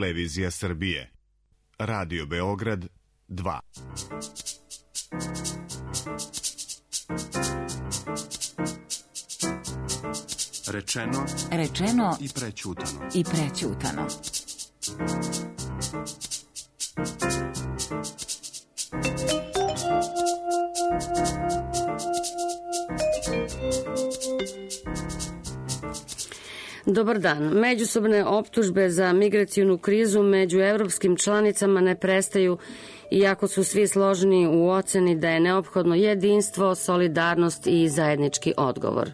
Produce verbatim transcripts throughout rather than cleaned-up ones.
Televizija Srbije. Radio Beograd dva. Rečeno, rečeno i prećutano. I prećutano. Dobar dan. Međusobne optužbe za migracionu krizu među evropskim članicama ne prestaju, iako su svi složni u oceni da je neophodno jedinstvo, solidarnost i zajednički odgovor.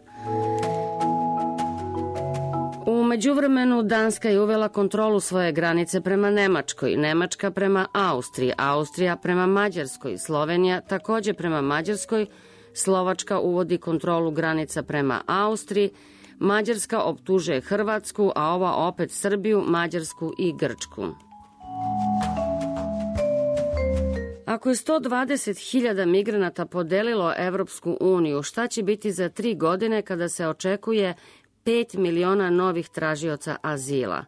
U međuvremenu Danska je uvela kontrolu svoje granice prema Nemačkoj, Nemačka prema Austriji, Austrija prema Mađarskoj, Slovenija takođe prema Mađarskoj, Slovačka uvodi kontrolu granica prema Austriji, Mađarska optužuje Hrvatsku, a ova opet Srbiju, Mađarsku i Grčku. Ako je sto dvadeset hiljada migranata podelilo Evropsku uniju, šta će biti za tri godine kada se očekuje pet miliona novih tražioca azila?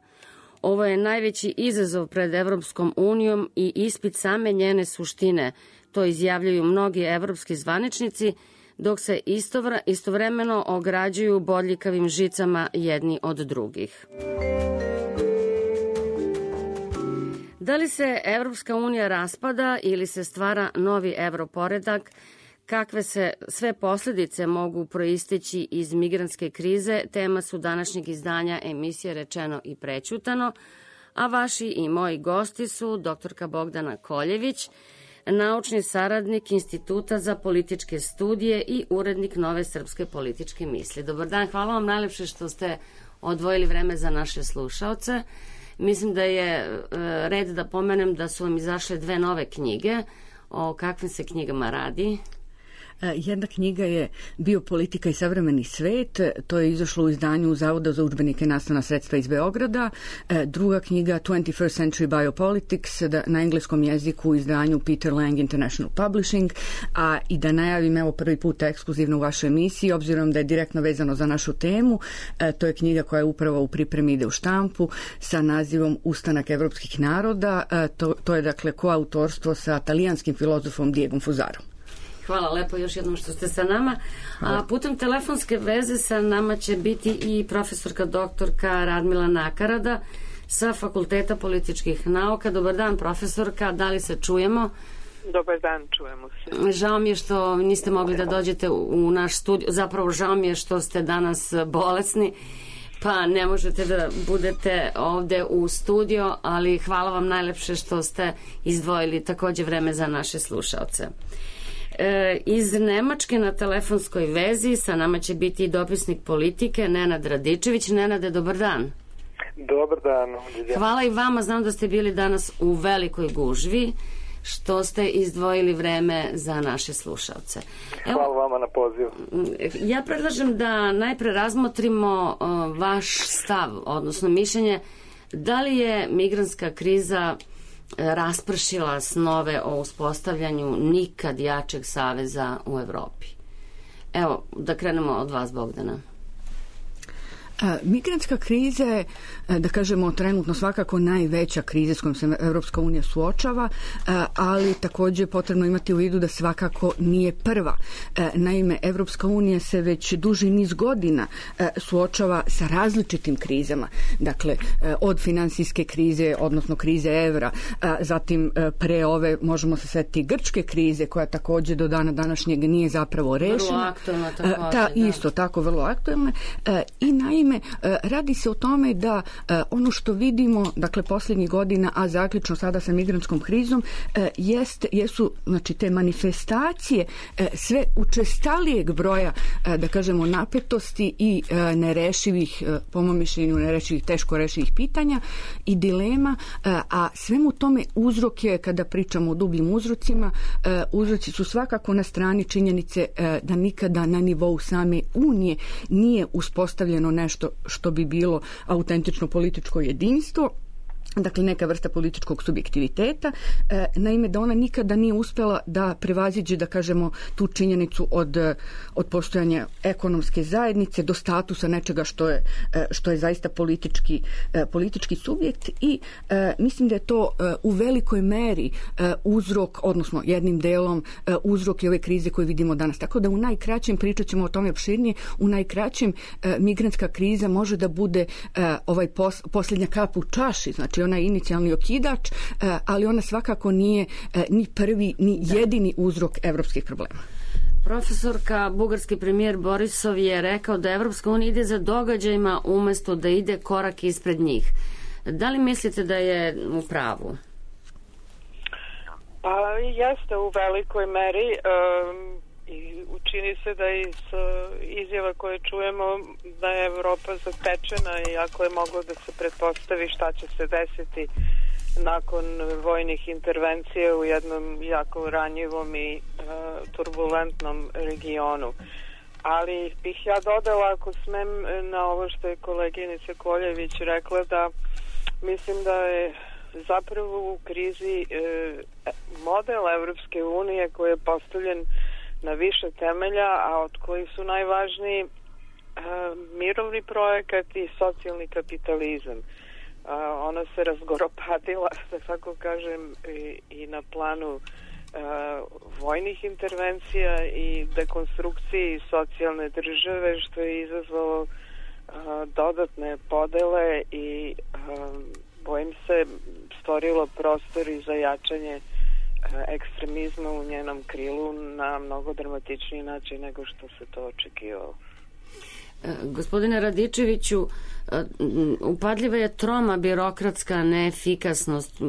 Ovo je najveći izazov pred Evropskom unijom i ispit same njene suštine. To izjavljuju mnogi evropski zvaničnici, dok se istovra, istovremeno ograđuju bodljikavim žicama jedni od drugih. Da li se Evropska unija raspada ili se stvara novi evroporedak? Kakve se sve posljedice mogu proisteći iz migrantske krize, tema su današnjeg izdanja emisije Rečeno i prećutano, a vaši i moji gosti su doktorka Bogdana Koljević, naučni saradnik Instituta za političke studije i urednik Nove srpske političke misli. Dobar dan, hvala vam najlepše što ste odvojili vreme za naše slušaoce. Mislim da je red da pomenem da su vam izašle dve nove knjige. O kakvim se knjigama radi? Jedna knjiga je Biopolitika i savremeni svet, to je izašlo u izdanju Zavoda za udžbenike i nastavna sredstva iz Beograda. Druga knjiga twenty-first Century Biopolitics na engleskom jeziku u izdanju Peter Lang International Publishing. A i da najavim, evo prvi put ekskluzivno u vašoj emisiji, obzirom da je direktno vezano za našu temu, to je knjiga koja je upravo u pripremi, ide u štampu sa nazivom Ustanak evropskih naroda. To, to je dakle koautorstvo sa talijanskim filozofom Diegom Fuzarom. Hvala lepo još jednom što ste sa nama. A putem telefonske veze sa nama će biti i profesorka doktorka Radmila Nakarada sa Fakulteta političkih nauka. Dobar dan, profesorka, da li se čujemo? Dobar dan, čujemo se. Žao mi je što niste mogli da dođete u naš studio, zapravo žao mi je što ste danas bolesni, pa ne možete da budete ovde u studio, ali hvala vam najlepše što ste izdvojili takođe vreme za naše slušaoce. E, iz Nemačke na telefonskoj vezi sa nama će biti i dopisnik Politike Nenad Radičević. Nenade, dobar dan. Dobar dan. Hvala i vama, znam da ste bili danas u velikoj gužvi, što ste izdvojili vreme za naše slušalce. Evo, hvala vama na pozivu. Ja predlažem da najpre razmotrimo uh, vaš stav, odnosno mišljenje, da li je migrantska kriza raspršila snove o uspostavljanju nikad jačeg saveza u Evropi. Evo, da krenemo od vas, Bogdana. A, migrantska kriza je, da kažemo, trenutno svakako najveća kriza s kojom se Evropska unija suočava, a, ali takođe potrebno imati u vidu da svakako nije prva. A, naime, Evropska unija se već duži niz godina a, suočava sa različitim krizama. Dakle, a, od finansijske krize, odnosno krize evra, a, zatim a, pre ove, možemo se setiti, grčke krize, koja takođe do dana današnjeg nije zapravo rešena. Vrlo aktualna takođe. A, ta, isto tako, vrlo aktualna. A, I naime, radi se o tome da ono što vidimo, dakle, posljednjih godina, a zaključno sada sa migrantskom krizom, jest, jesu, znači, te manifestacije sve učestalijeg broja, da kažemo, napetosti i nerešivih, po mom mišljenju, nerešivih, teško rešivih pitanja i dilema, a svemu tome uzrok je, kada pričamo o dubljim uzrocima, uzroci su svakako na strani činjenice da nikada na nivou same Unije nije uspostavljeno nešto što bi bilo autentično političko jedinstvo, dakle neka vrsta političkog subjektiviteta, e, naime da ona nikada nije uspjela da prevaziđe, da kažemo, tu činjenicu od, od postojanja ekonomske zajednice do statusa nečega što je, što je zaista politički, e, politički subjekt i e, mislim da je to e, u velikoj meri e, uzrok, odnosno jednim delom e, uzrok i ove krize koje vidimo danas. Tako da u najkraćem, pričat ćemo o tome opširnije, u najkraćem e, migrantska kriza može da bude e, ovaj pos, posljednja kap u čaši, znači ona je inicijalni okidač, ali ona svakako nije ni prvi, ni jedini uzrok evropskih problema. Profesorka, bugarski premijer Borisov je rekao da Evropska unija ide za događajima umjesto da ide korak ispred njih. Da li mislite da je u pravu? Pa jeste u velikoj meri um, i učini se da iz izjava koje čujemo da je Evropa zatečena i ako je moglo da se pretpostavi šta će se desiti nakon vojnih intervencija u jednom jako ranjivom i uh, turbulentnom regionu. Ali bih ja dodala, ako smem, na ovo što je koleginica Koljević rekla, da mislim da je zapravo u krizi uh, model Evropske unije koji je postavljen na više temelja, a od kojih su najvažniji uh, mirovni projekat i socijalni kapitalizam. Uh, ona se razgoropadila, da tako kažem, i, i na planu uh, vojnih intervencija i dekonstrukciji socijalne države, što je izazvalo uh, dodatne podele i uh, bojim se stvorilo prostor i za jačanje ekstremizma u njenom krilu na mnogo dramatičniji način nego što se to očekivalo. Gospodine Radičeviću, upadljiva je troma birokratska neefikasnost.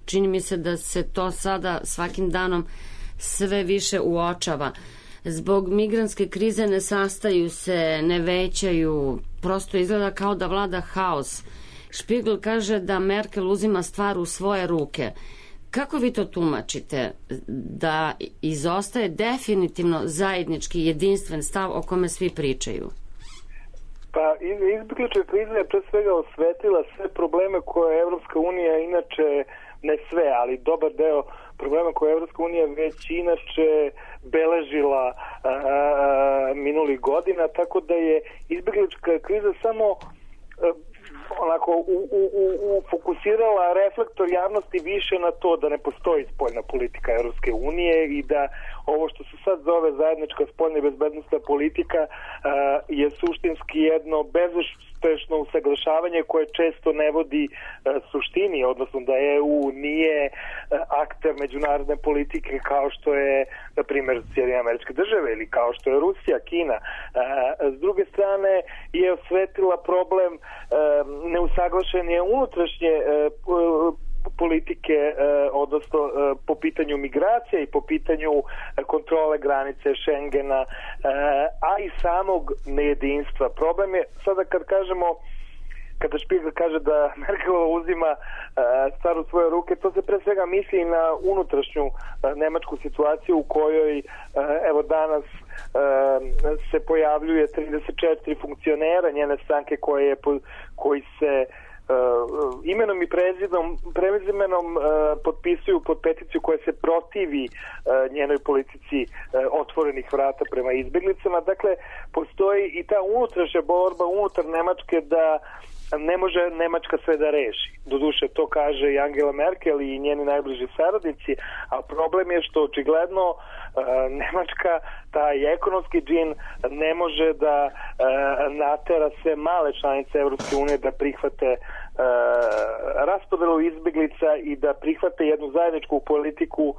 Čini mi se da se to sada svakim danom sve više uočava. Zbog migrantske krize ne sastaju se, ne većaju, prosto izgleda kao da vlada haos. Špigl kaže da Merkel uzima stvar u svoje ruke. Kako vi to tumačite, da izostaje definitivno zajednički jedinstven stav o kome svi pričaju? Pa izbjeglička kriza je pre svega osvetila sve probleme koje Evropska unija inače, ne sve, ali dobar deo problema koje Evropska unija već inače beležila a, a, minulih godina, tako da je izbjeglička kriza samo a, onako u, u, u, fokusirala reflektor javnosti više na to da ne postoji spoljna politika Evropske unije i da ovo što se sad zove zajednička spoljna i bezbednosna politika uh, je suštinski jedno bezuspešno usaglašavanje koje često ne vodi uh, suštini, odnosno da E U nije uh, akter međunarodne politike kao što je, na primjer, Sjedinjene Američke Države ili kao što je Rusija, Kina. Uh, s druge strane je osvetila problem uh, neusaglašenje unutrašnje uh, politike, eh, odnosno eh, po pitanju migracije i po pitanju eh, kontrole granice Schengena, eh, a i samog nejedinstva. Problem je, sada kad kažemo, kada Špigl kaže da Merkelova uzima eh, stvar u svoje ruke, to se pre svega misli na unutrašnju eh, nemačku situaciju u kojoj, eh, evo danas, eh, se pojavljuje trideset četiri funkcionera njene stranke koje je, koji se Uh, imenom i prezidom, prezimenom uh, potpisuju pod peticiju koja se protivi uh, njenoj politici uh, otvorenih vrata prema izbjeglicama. Dakle, postoji i ta unutrašnja borba unutar Nemačke da ne može Nemačka sve da reši. Doduše, to kaže i Angela Merkel i njeni najbliži saradnici, a problem je što očigledno uh, Nemačka, taj ekonomski džin, ne može da uh, natera sve male članice Evropske unije da prihvate uh, raspodelu izbjeglica i da prihvate jednu zajedničku politiku uh,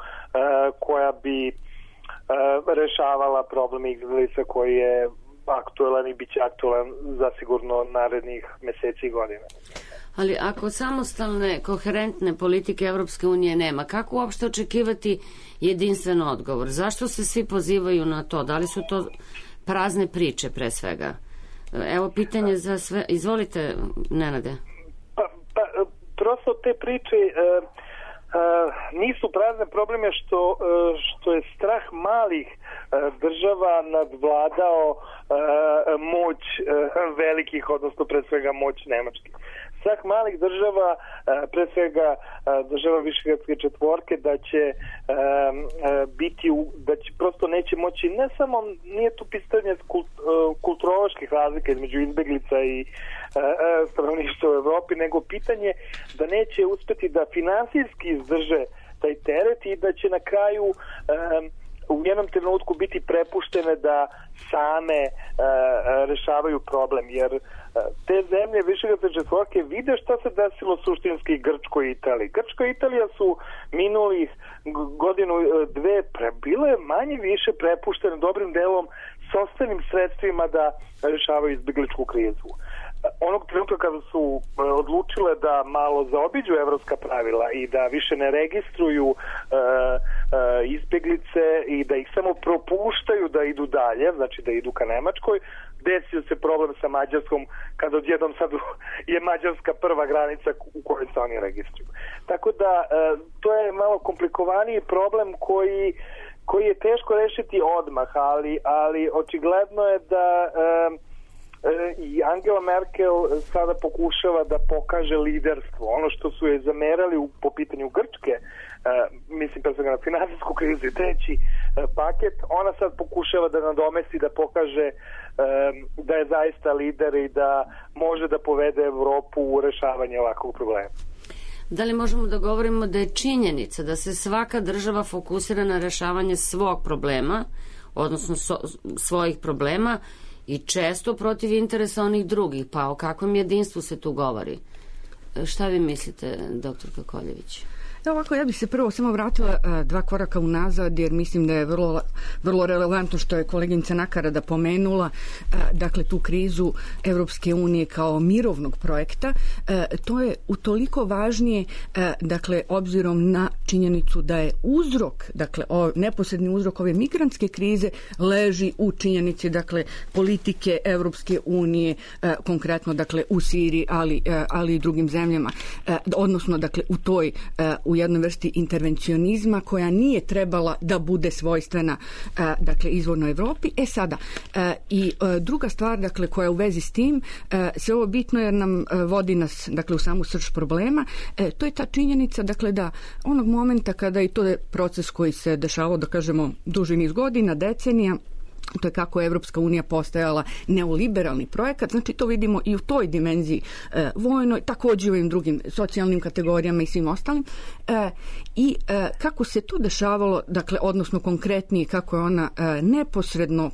koja bi uh, rešavala problem izbjeglica koji je aktuelan i bit će aktuelan zasigurno narednih meseci i godina. Ali ako samostalne, koherentne politike Evropske unije nema, kako uopšte očekivati jedinstven odgovor? Zašto se svi pozivaju na to? Da li su to prazne priče pre svega? Evo pitanje za sve. Izvolite, Nenade. Pa, pa prosto te priče uh, Uh, nisu prazne. Problem je što, uh, što je strah malih uh, država nadvladao uh, moć uh, velikih, odnosno pre svega moć Nemačke. strah malih država, pre svega država Višegradske četvorke, da će biti, da će prosto neće moći, ne samo, nije tu pitanje kulturoloških razlika između izbeglica i stanovništva u Evropi, nego pitanje da neće uspeti da finansijski izdrže taj teret i da će na kraju u jednom trenutku biti prepuštene da same rešavaju problem, jer te zemlje Višegradske četvorke vide šta se desilo suštinski Grčkoj i Italiji. Grčka i Italija su minulih godinu, dve bile manje više prepuštene dobrim delom sopstvenim sredstvima da rešavaju izbegličku krizu. Onog trenutka kada su odlučile da malo zaobiđu evropska pravila i da više ne registruju uh, uh, izbeglice i da ih samo propuštaju da idu dalje, znači da idu ka Nemačkoj, desio se problem sa Mađarskom kada odjednom sad je Mađarska prva granica u kojoj se oni registruju. Tako da uh, to je malo komplikovaniji problem koji, koji je teško rešiti odmah, ali, ali očigledno je da uh, i Angela Merkel sada pokušava da pokaže liderstvo. Ono što su je zamerali u, po pitanju Grčke, uh, mislim pre svega na finansijsku krizu i treći uh, paket, ona sad pokušava da nadomesti, da pokaže uh, da je zaista lider i da može da povede Evropu u rešavanje ovakvog problema. Da li možemo da govorimo da je činjenica da se svaka država fokusira na rešavanje svog problema, odnosno so, svojih problema, i često protiv interesa onih drugih, pa o kakvom jedinstvu se tu govori? Šta vi mislite, doktorka Koljević? Da, ovako, ja bih se prvo samo vratila a, dva koraka unazad, jer mislim da je vrlo, vrlo relevantno što je koleginica Nakarada pomenula, a, dakle tu krizu Evropske unije kao mirovnog projekta. A, to je utoliko važnije, a, dakle, obzirom na činjenicu da je uzrok, dakle, o, neposredni uzrok ove migrantske krize leži u činjenici, dakle, politike Evropske unije, a, konkretno, dakle, u Siriji, ali, a, ali i drugim zemljama, a, odnosno, dakle, u toj a, u jednoj vrsti intervencionizma koja nije trebala da bude svojstvena a, dakle izvornoj Evropi. E sada, a, i a, druga stvar, dakle, koja je u vezi s tim, a, sve ovo bitno jer nam a, vodi nas, dakle, u samu srž problema, e, to je ta činjenica, dakle, da onog momenta kada, i to je proces koji se dešavao, da kažemo, duži niz godina, decenija, to je kako je Evropska unija postajala neoliberalni projekat, znači to vidimo i u toj dimenziji e, vojnoj, također i u ovim drugim socijalnim kategorijama i svim ostalim. E, I e, kako se to dešavalo, dakle, odnosno konkretnije, kako je ona e, neposredno,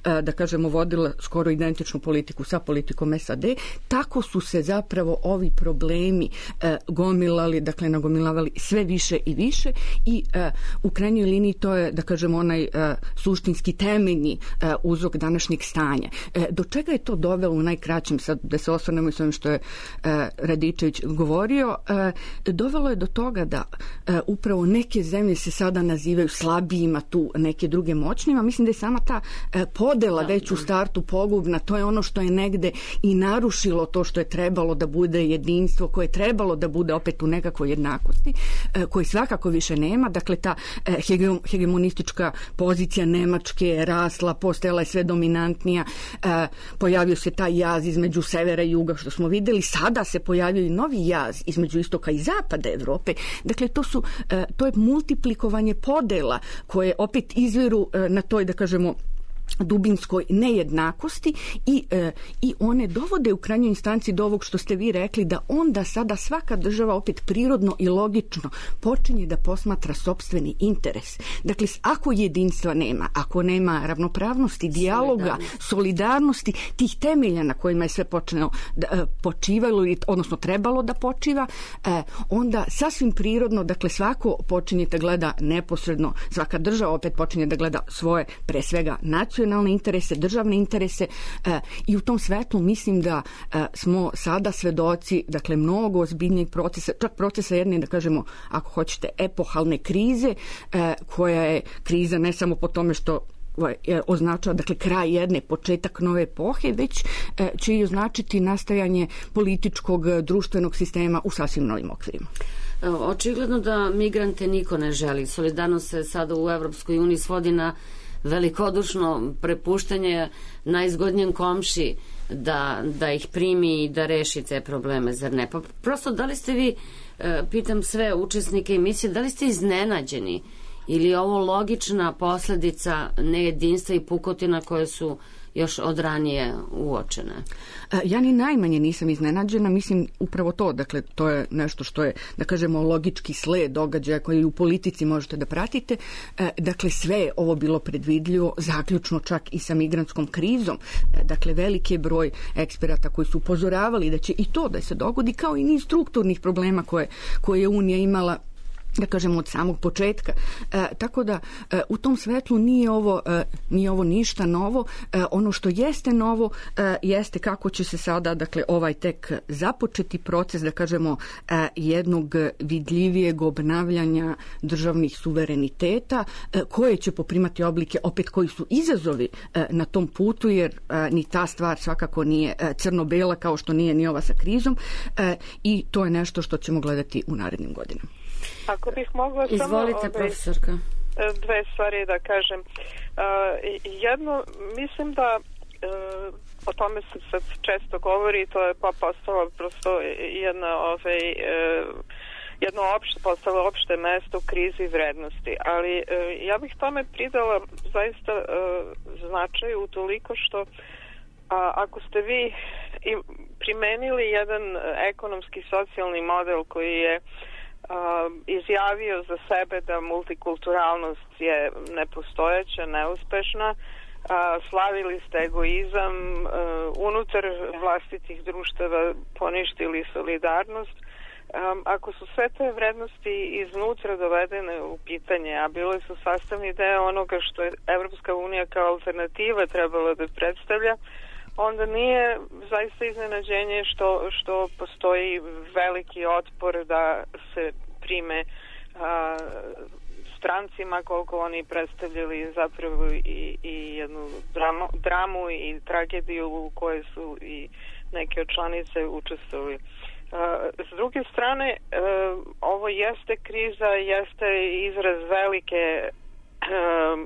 e, da kažemo, vodila skoro identičnu politiku sa politikom S A D, tako su se zapravo ovi problemi e, gomilali, dakle, nagomilavali sve više i više i e, u krajnjoj liniji to je, da kažemo, onaj e, suštinski temeljni uzrok današnjeg stanja. Do čega je to dovelo u najkraćem, sad da se osvrnemo i s ovim što je Radičević govorio, dovelo je do toga da upravo neke zemlje se sada nazivaju slabijima, tu neke druge moćnima. Mislim da je sama ta podela već u startu pogubna, to je ono što je negde i narušilo to što je trebalo da bude jedinstvo, koje je trebalo da bude opet u nekakvoj jednakosti, koji svakako više nema. Dakle, ta hegemonistička pozicija Nemačke je rasla, postajala je sve dominantnija, e, pojavio se taj jaz između severa i juga, što smo videli, sada se pojavio i novi jaz između istoka i zapada Evrope. Dakle, to su, e, to je multiplikovanje podela koje opet izviru e, na toj, da kažemo, dubinskoj nejednakosti i, e, i one dovode u krajnjoj instanci do ovog što ste vi rekli, da onda sada svaka država opet prirodno i logično počinje da posmatra sopstveni interes. Dakle, ako jedinstva nema, ako nema ravnopravnosti, dijaloga, solidarnosti, solidarnosti tih temelja na kojima je sve počelo da, e, počivalo, odnosno trebalo da počiva, e, onda sasvim prirodno, dakle, svako počinje da gleda neposredno, svaka država opet počinje da gleda svoje, pre svega, nacionalne interese, državne interese e, i u tom svetlu mislim da e, smo sada svedoci, dakle, mnogo ozbiljnijeg procesa, čak procesa jedne, da kažemo, ako hoćete, epohalne krize, e, koja je kriza ne samo po tome što označava, dakle, kraj jedne, početak nove epohe, već e, će i označiti nastajanje političkog, društvenog sistema u sasvim novim okvirima. Očigledno da migrante niko ne želi. Solidarnost se sada u Evropskoj uniji svodi na velikodušno prepuštanje najzgodnijem komši da, da ih primi i da reši te probleme, zar ne? Pa prosto, da li ste vi, pitam sve učesnike emisije, da li ste iznenađeni ili je ovo logična posledica nejedinstva i pukotina koje su još od ranije uočene? Ja ni najmanje nisam iznenađena, mislim upravo to, dakle to je nešto što je, da kažemo, logički sled događaja koji u politici možete da pratite. Dakle, sve je ovo bilo predvidljivo, zaključno čak i sa migrantskom krizom. Dakle, veliki je broj eksperata koji su upozoravali da će i to da se dogodi, kao i niz strukturnih problema koje, koje je Unija imala, da kažemo, od samog početka. E, tako da e, u tom svetlu nije ovo, e, nije ovo ništa novo. E, ono što jeste novo e, jeste kako će se sada, dakle, ovaj tek započeti proces, da kažemo, e, jednog vidljivijeg obnavljanja državnih suvereniteta, e, koje će poprimati oblike, opet koji su izazovi e, na tom putu, jer e, ni ta stvar svakako nije e, crno-bela kao što nije ni ova sa krizom, e, i to je nešto što ćemo gledati u narednim godinama. Ako bih mogla samo... Izvolite, profesorka. Dve stvari da kažem. Jedno, mislim da o tome se sad često govori, to je pa postalo prosto jedna ovaj, jedno opšte, postalo opšte mesto u krizi vrednosti, ali ja bih tome pridala zaista značaj utoliko što a, ako ste vi primenili jedan ekonomski socijalni model koji je Uh, izjavio za sebe da multikulturalnost je nepostojeća, neuspešna, uh, slavili ste egoizam, uh, unutar vlastitih društava poništili solidarnost. Um, ako su sve te vrednosti iznutra dovedene u pitanje, a bile su sastavni deo onoga što je Evropska unija kao alternativa trebala da predstavlja, onda nije zaista iznenađenje što, što postoji veliki otpor da se prime a, strancima, koliko oni predstavljali zapravo i, i jednu dramu, dramu i tragediju u kojoj su i neke od članice učestvovali. S druge strane, a, ovo jeste kriza, jeste izraz velike a,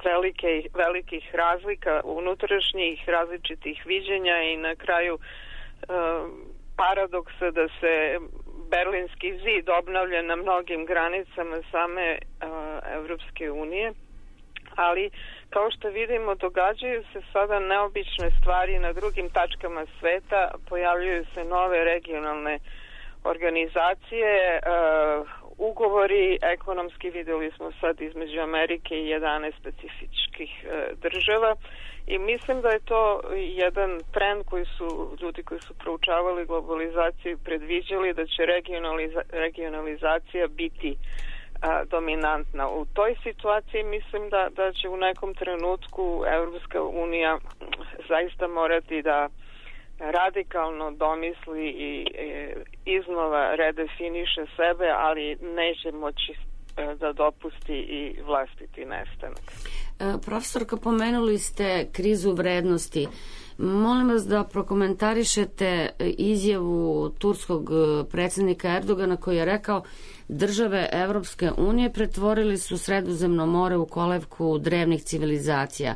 velike, velikih razlika unutrašnjih različitih viđenja i na kraju e, paradoksa da se Berlinski zid obnavlja na mnogim granicama same e, Evropske unije, ali kao što vidimo događaju se sada neobične stvari na drugim tačkama sveta, pojavljuju se nove regionalne organizacije, e, ugovori ekonomski, vidjeli smo sad između Amerike i jedanaest specifičkih e, država i mislim da je to jedan trend koji su ljudi koji su proučavali globalizaciju predviđali da će regionaliza, regionalizacija biti a, dominantna. U toj situaciji mislim da, da će u nekom trenutku Evropska unija zaista morati da radikalno domisli i e, iznova redefiniše sebe, ali neće moći e, da dopusti i vlastiti nestanak. E, profesorka, pomenuli ste krizu vrednosti. Molim vas da prokomentarišete izjavu turskog predsjednika Erdogana koji je rekao države Evropske unije pretvorili su Sredozemno more u kolevku drevnih civilizacija.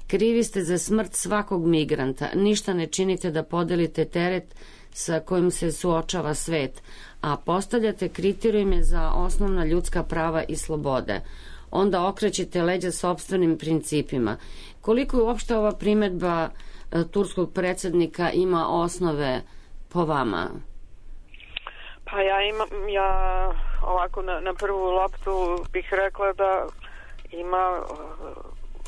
Krivi ste za smrt svakog migranta. Ništa ne činite da podelite teret sa kojim se suočava svet, a postavljate kriterijume za osnovna ljudska prava i slobode. Onda okrećete leđa sopstvenim principima. Koliko je uopšte ova primedba turskog predsjednika ima osnove po vama? Pa ja imam, ja ovako na, na prvu loptu bih rekla da ima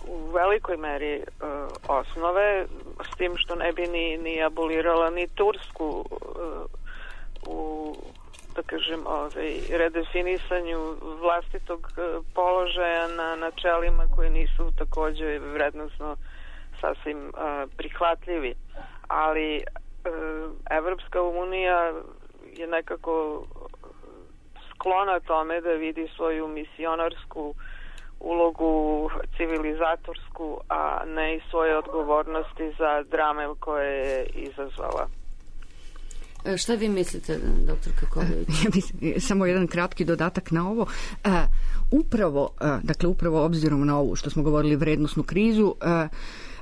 u velikoj meri uh, osnove, s tim što ne bi ni, ni abolirala ni Tursku uh, u, da kažem, ovaj, redefinisanju vlastitog uh, položaja na načelima koji nisu takođe vrednosno sasvim uh, prihvatljivi. Ali uh, Evropska unija je nekako sklona tome da vidi svoju misionarsku ulogu civilizatorsku, a ne i svoje odgovornosti za drame koje je izazvala. Šta vi mislite, doktor Kaković? Samo jedan kratki dodatak na ovo. Upravo, dakle, upravo obzirom na ovu što smo govorili vrednosnu krizu,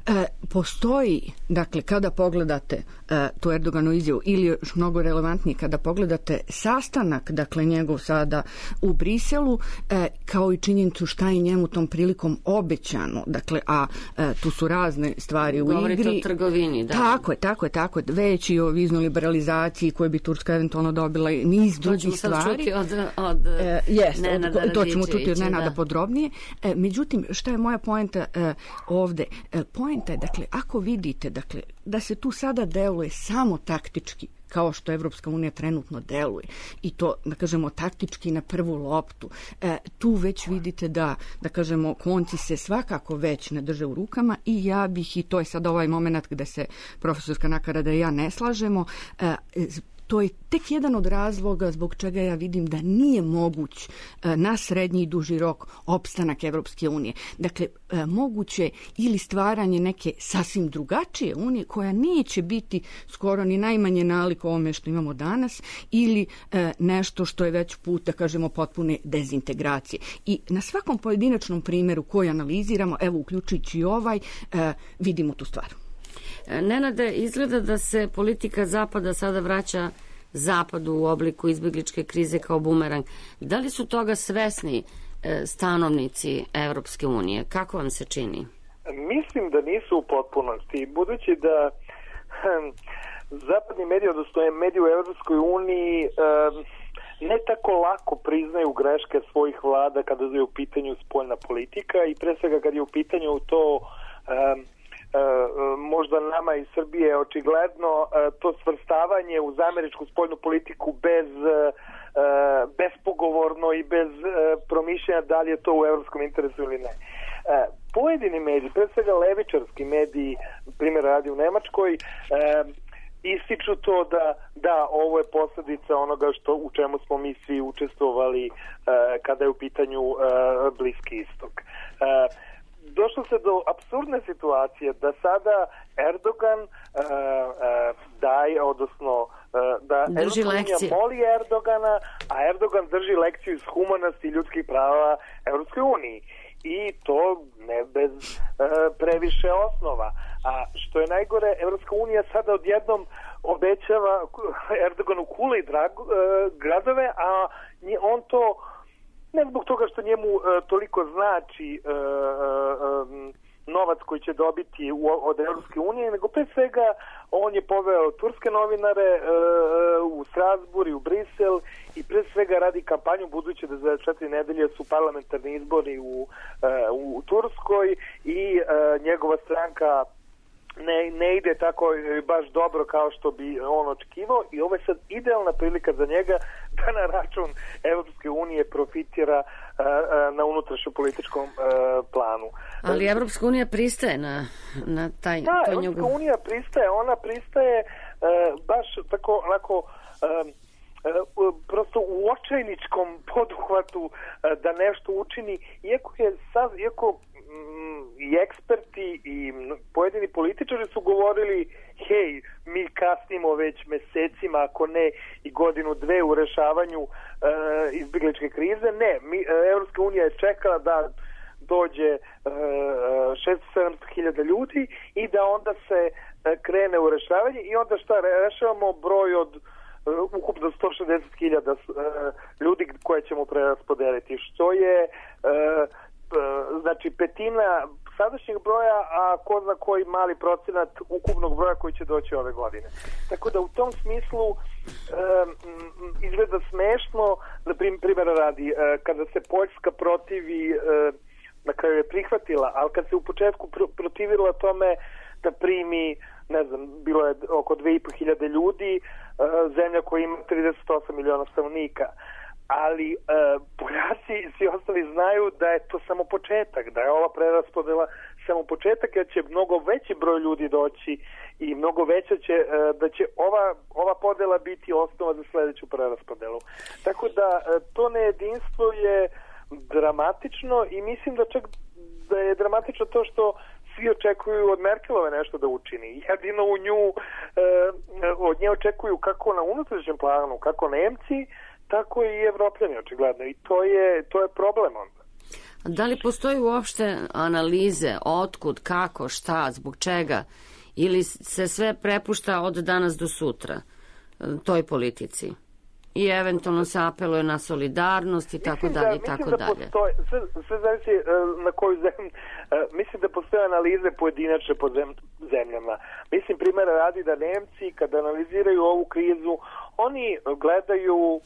E, postoji, dakle, kada pogledate e, tu Erdoganu izjavu ili još mnogo relevantnije, kada pogledate sastanak, dakle, njegov sada u Briselu, e, kao i činjenicu šta je njemu tom prilikom obećano, dakle, a e, tu su razne stvari u Govorite igri. O trgovini, da. Tako je, tako je, tako je. Već i o viznoj liberalizaciji koje bi Turska eventualno dobila i niz drugih stvari. To ćemo sad čuti od, od e, jest, Nenada od, to ćemo čuti od Nenada da. podrobnije. E, međutim, šta je moja poenta e, ovde? E, poenta je, dakle, ako vidite, dakle, da se tu sada deluje samo taktički, kao što Evropska unija trenutno deluje, i to, da kažemo, taktički na prvu loptu, e, tu već vidite da, da kažemo, konci se svakako već ne drže u rukama i ja bih, i to je sad ovaj moment gde se profesorska Nakarada i ja ne slažemo, e, to je tek jedan od razloga zbog čega ja vidim da nije moguć na srednji i duži rok opstanak Evropske unije. Dakle, moguće ili stvaranje neke sasvim drugačije unije koja neće biti skoro ni najmanje nalik ovome što imamo danas ili nešto što je već put, da kažemo, potpune dezintegracije. I na svakom pojedinačnom primjeru koji analiziramo, evo uključujući i ovaj, vidimo tu stvar. Nenade, izgleda da se politika Zapada sada vraća Zapadu u obliku izbegličke krize kao bumerang. Da li su toga svesni stanovnici Evropske unije? Kako vam se čini? Mislim da nisu u potpunosti. Budući da hm, zapadni mediji, odnosno mediji u Evropskoj uniji, hm, ne tako lako priznaju greške svojih vlada kada je u pitanju spoljna politika i pre svega kad je u pitanju to hm, možda nama iz Srbije očigledno to svrstavanje uz američku spoljnu politiku bez bespogovorno i bez promišljanja da li je to u evropskom interesu ili ne. Pojedini mediji, pre svega levičarski mediji, primjer radi u Nemačkoj, ističu to da da, ovo je posljedica onoga što, u čemu smo mi svi učestvovali kada je u pitanju Bliski istok. Došlo se do apsurdne situacije da sada Erdogan uh, uh, daje, odnosno uh, da drži Evropska unija moli Erdogana, a Erdogan drži lekciju iz humanosti i ljudskih prava Evropskoj uniji. I to ne bez uh, previše osnova. A što je najgore, Evropska unija sada odjednom obećava Erdoganu kule i drag, uh, gradove, a on to ne zbog toga što njemu uh, toliko znači uh, um, novac koji će dobiti u, od Evropske unije, nego pre svega on je poveo turske novinare uh, u Strasbourg i u Brisel i pre svega radi kampanju, budući da za četiri nedelje su parlamentarni izbori u, uh, u Turskoj i uh, njegova stranka ne, ne ide tako baš dobro kao što bi on očekivao i ovo je sad idealna prilika za njega da na račun Evropske unije profitira uh, uh, na unutrašnjem političkom uh, planu. Ali Evropska unija pristaje na, na taj... Da, Evropska njegov... unija pristaje, ona pristaje uh, baš tako onako... Uh, Uh, prosto u očajničkom poduhvatu uh, da nešto učini, iako je sad, iako mm, i eksperti i pojedini političari su govorili hej, mi kasnimo već mesecima, ako ne i godinu dve u rešavanju uh, izbjegličke krize. Ne, mi, uh, Evropska unija je čekala da dođe uh, šesto sedamsto hiljada ljudi i da onda se uh, krene u rešavanje i onda šta, rešavamo broj od Uh, ukupno sto šezdeset hiljada uh, ljudi koje ćemo preraspodeliti, što je uh, uh, znači petina sadašnjeg broja, a ko zna koji mali procenat ukupnog broja koji će doći ove godine. Tako da u tom smislu uh, izgleda smešno, na primjer radi, uh, kada se Poljska protivi, uh, na kraju je prihvatila, ali kad se u početku pr- protivila tome da primi, ne znam, bilo je oko dve i po hiljade ljudi, uh, zemlja koja ima trideset osam miliona stanovnika. Ali uh, Poljaci i svi ostali znaju da je to samo početak, da je ova preraspodela samo početak, jer će mnogo veći broj ljudi doći i mnogo veća će, uh, da će ova, ova podela biti osnova za sljedeću preraspodelu. Tako da uh, to nejedinstvo je dramatično i mislim da čak da je dramatično to što svi očekuju od Merkelove nešto da učini. Jedino u nju, e, od nje očekuju kako na unutrašnjem planu, kako Nemci, tako i Evropljani očigledno. I to je, to je problem onda. Da li postoji uopšte analize, otkud, kako, šta, zbog čega, ili se sve prepušta od danas do sutra toj politici? I eventualno se apeluje na solidarnost i tako dalje i tako dalje. Postoje, sve, sve zavisi na koju zemlju. Mislim da postoje analize pojedinačne po zemljama. Mislim, primjera radi da Nemci, kada analiziraju ovu krizu, oni gledaju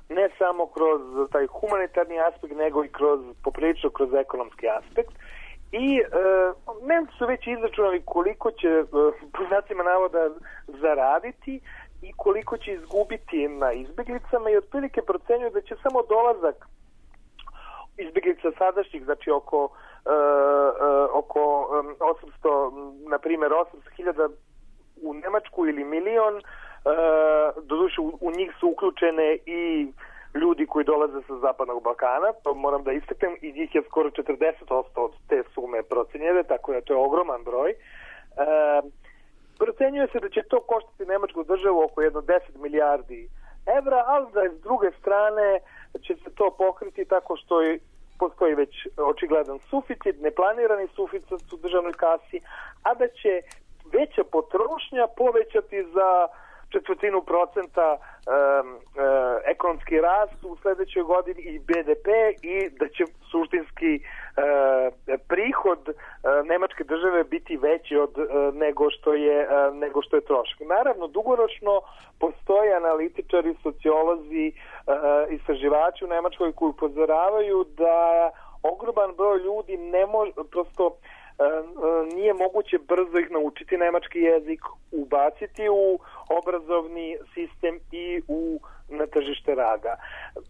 ne samo kroz taj humanitarni aspekt, nego i kroz, poprilično kroz ekonomski aspekt. I e, Nemci su već izračunali koliko će, e, po znacima navoda, zaraditi i koliko će izgubiti na izbjeglicama i otprilike procenjuju da će samo dolazak izbjeglica sadašnjih, znači oko, uh, uh, oko um, osamsto, na primjer osamsto hiljada u Nemačku ili milion, uh, doduše u, u njih su uključene i ljudi koji dolaze sa Zapadnog Balkana, to moram da istaknem, i njih je skoro četrdeset posto od te sume procenjene, tako da to je ogroman broj. Uh, Procenjuje se da će to koštati Nemačku državu oko jedno deset milijardi evra, ali da s druge strane će se to pokriti tako što je, postoji već očigledan suficit, neplanirani suficit u državnoj kasi, a da će veća potrošnja povećati za četvrtinu procenta um, uh, ekonomski rast u sljedećoj godini i B D P i da će suštinski uh, prihod uh, nemačke države biti veći od uh, nego što je uh, nego što je trošak. Naravno, dugoročno postoje analitičari, sociolozi, uh, istraživači u Nemačkoj koji upozoravaju da ogroman broj ljudi ne može prosto nije moguće brzo ih naučiti nemački jezik, ubaciti u obrazovni sistem i u na tržište rada.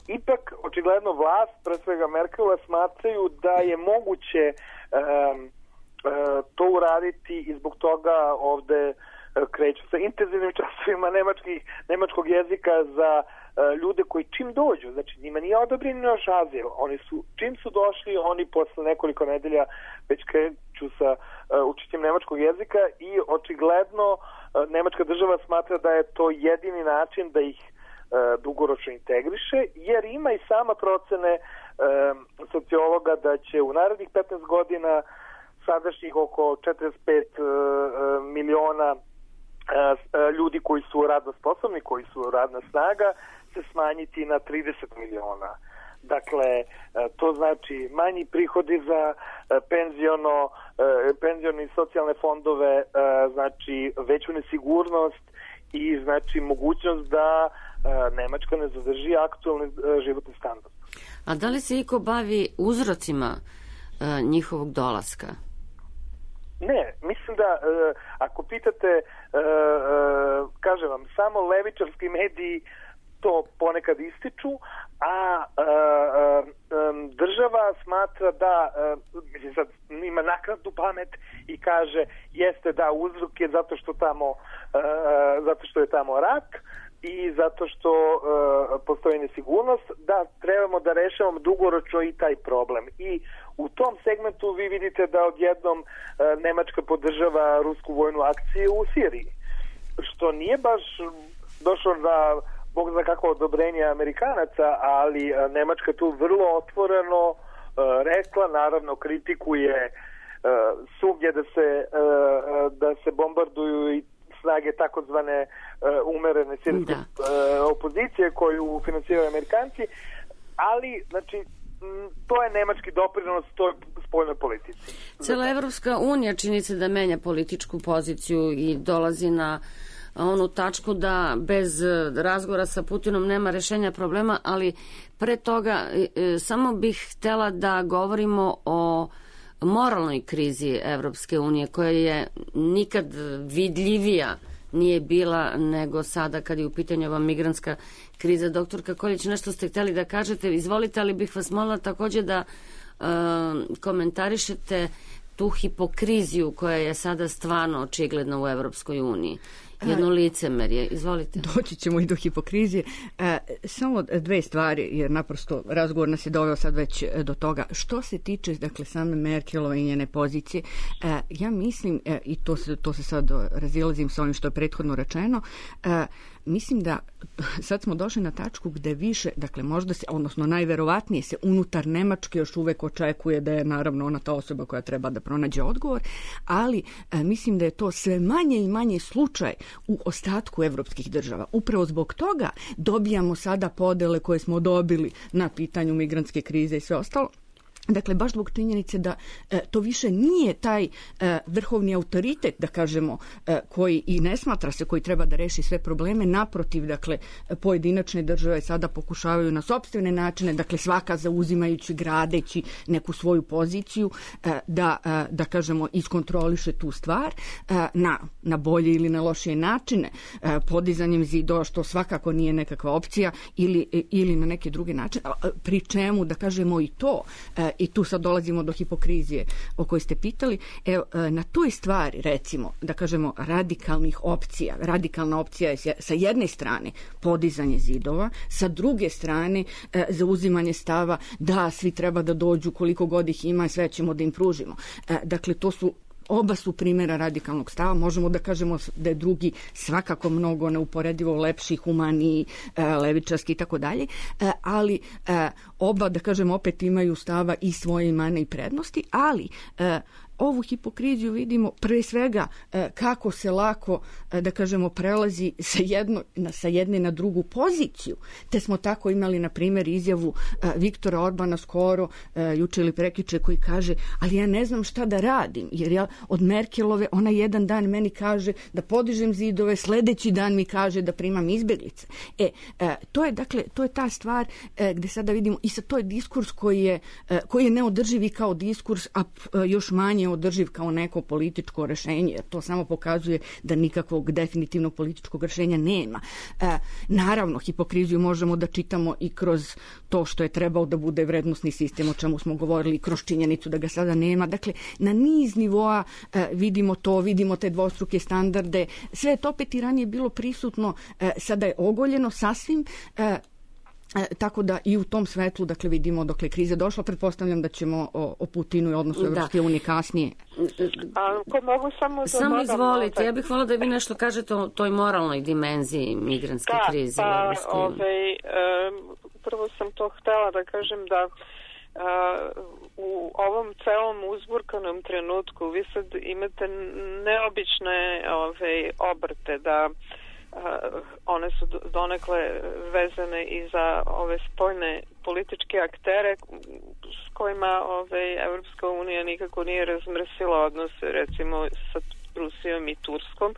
Ipak, očigledno vlast, pre svega Merkelova, smatraju da je moguće um, uh, to uraditi i zbog toga ovde uh, kreću sa intenzivnim časovima nemačkih, nemačkog jezika za uh, ljude koji čim dođu, znači njima nije odobren još azil, oni su, čim su došli, oni posle nekoliko nedelja već kreću sa uh, učenjem nemačkog jezika i očigledno uh, nemačka država smatra da je to jedini način da ih uh, dugoročno integriše, jer ima i sama procene uh, sociologa da će u narednih petnaest godina sadašnjih oko četrdeset pet uh, miliona uh, ljudi koji su radno sposobni, koji su radna snaga, se smanjiti na trideset miliona. Dakle, to znači manji prihodi za penziono, penzioni i socijalne fondove, znači veću nesigurnost i znači mogućnost da Nemačka ne zadrži aktualni životni standard. A da li se iko bavi uzrocima njihovog dolaska? Ne, mislim da ako pitate, kažem vam, samo levičarski mediji to ponekad ističu, a e, e, država smatra da e, mislim sad ima naknadnu pamet i kaže jeste da uzrok je zato što tamo e, zato što je tamo rat i zato što e, postoji nesigurnost, da trebamo da rešavamo dugoročno i taj problem. I u tom segmentu vi vidite da odjednom e, Nemačka podržava rusku vojnu akciju u Siriji, što nije baš došlo da Bog zna kako odobrenje Amerikanaca, ali Nemačka tu vrlo otvoreno uh, rekla, naravno kritikuje uh, svugdje da se, uh, da se bombarduju i snage takozvane uh, umerene sirijske uh, opozicije koju finansiraju Amerikanci, ali znači to je nemački doprinos toj spoljnoj politici. Cela Evropska unija čini se da menja političku poziciju i dolazi na onu tačku da bez razgovora sa Putinom nema rešenja problema, ali pre toga samo bih htela da govorimo o moralnoj krizi Evropske unije, koja je nikad vidljivija nije bila nego sada kad je u pitanju ova migrantska kriza. Doktorka Koljić, nešto ste hteli da kažete, izvolite, ali bih vas molila takođe da uh, komentarišete tu hipokriziju koja je sada stvarno očigledna u Evropskoj uniji jedno licemerje. Izvolite. Doći ćemo i do hipokrizije. E, samo dve stvari, jer naprosto razgovor nas je doveo sad već do toga. Što se tiče, dakle, same Merkelove i njene pozicije, e, ja mislim, e, i to se, to se sad razilazim sa onim što je prethodno rečeno, e, mislim da sad smo došli na tačku gde više, dakle možda se, odnosno najverovatnije se unutar Nemačke još uvek očekuje da je naravno ona ta osoba koja treba da pronađe odgovor, ali e, mislim da je to sve manje i manje slučaj u ostatku evropskih država. Upravo zbog toga dobijamo sada podele koje smo dobili na pitanju migrantske krize i sve ostalo. Dakle, baš zbog činjenice da e, to više nije taj e, vrhovni autoritet, da kažemo, e, koji i ne smatra se, koji treba da reši sve probleme. Naprotiv, dakle, pojedinačne države sada pokušavaju na sopstvene načine, dakle, svaka zauzimajući, gradeći neku svoju poziciju, e, da, e, da kažemo, iskontroliše tu stvar e, na, na bolje ili na lošije načine, e, podizanjem zidova, što svakako nije nekakva opcija, ili, e, ili na neke druge načine, pri čemu, da kažemo, i to, e, i tu sad dolazimo do hipokrizije o kojoj ste pitali. Evo, na toj stvari, recimo, da kažemo, radikalnih opcija. Radikalna opcija je sa jedne strane podizanje zidova, sa druge strane zauzimanje stava da svi treba da dođu koliko god ih ima i sve ćemo da im pružimo. Dakle, to su oba su primjera radikalnog stava. Možemo da kažemo da je drugi svakako mnogo neuporedivo lepši, humaniji, levičarski i tako dalje, ali oba, da kažemo, opet imaju stava i svoje mane i prednosti, ali ovu hipokriziju vidimo pre svega kako se lako, da kažemo, prelazi sa, jedno, sa jedne na drugu poziciju. Te smo tako imali, na primjer, izjavu Viktora Orbana skoro, juče ili prekjuče, koji kaže, ali ja ne znam šta da radim, jer ja od Merkelove, ona jedan dan meni kaže da podižem zidove, sledeći dan mi kaže da primam izbjeglice. E, to je, dakle, to je ta stvar gde sada vidimo, i sad to je diskurs koji je, koji je neodrživ i kao diskurs, a još manje održiv kao neko političko rešenje, jer to samo pokazuje da nikakvog definitivnog političkog rešenja nema. E, naravno, hipokriziju možemo da čitamo i kroz to što je trebao da bude vrednosni sistem, o čemu smo govorili, kroz činjenicu da ga sada nema. Dakle, na niz nivoa e, vidimo to, vidimo te dvostruke standarde. Sve je to opet i ranije bilo prisutno, e, sada je ogoljeno sasvim. E, E, tako da i u tom svetlu, dakle, vidimo dokle kriza došla. Pretpostavljam da ćemo o, o Putinu i odnosu da. Evropske unije kasnije. A, ko mogu samo da samo izvolite, ja bih volila da vi nešto kažete o toj moralnoj dimenziji migrantske da, krize pa, u Evropskoj uniji. Ovaj, um, prvo sam to htela da kažem da Uh, u ovom celom uzburkanom trenutku vi sad imate neobične ove, obrte da Uh, one su donekle vezane i za ove spoljne političke aktere s kojima ove, Evropska unija nikako nije razmrsila odnose, recimo sa Rusijom i Turskom,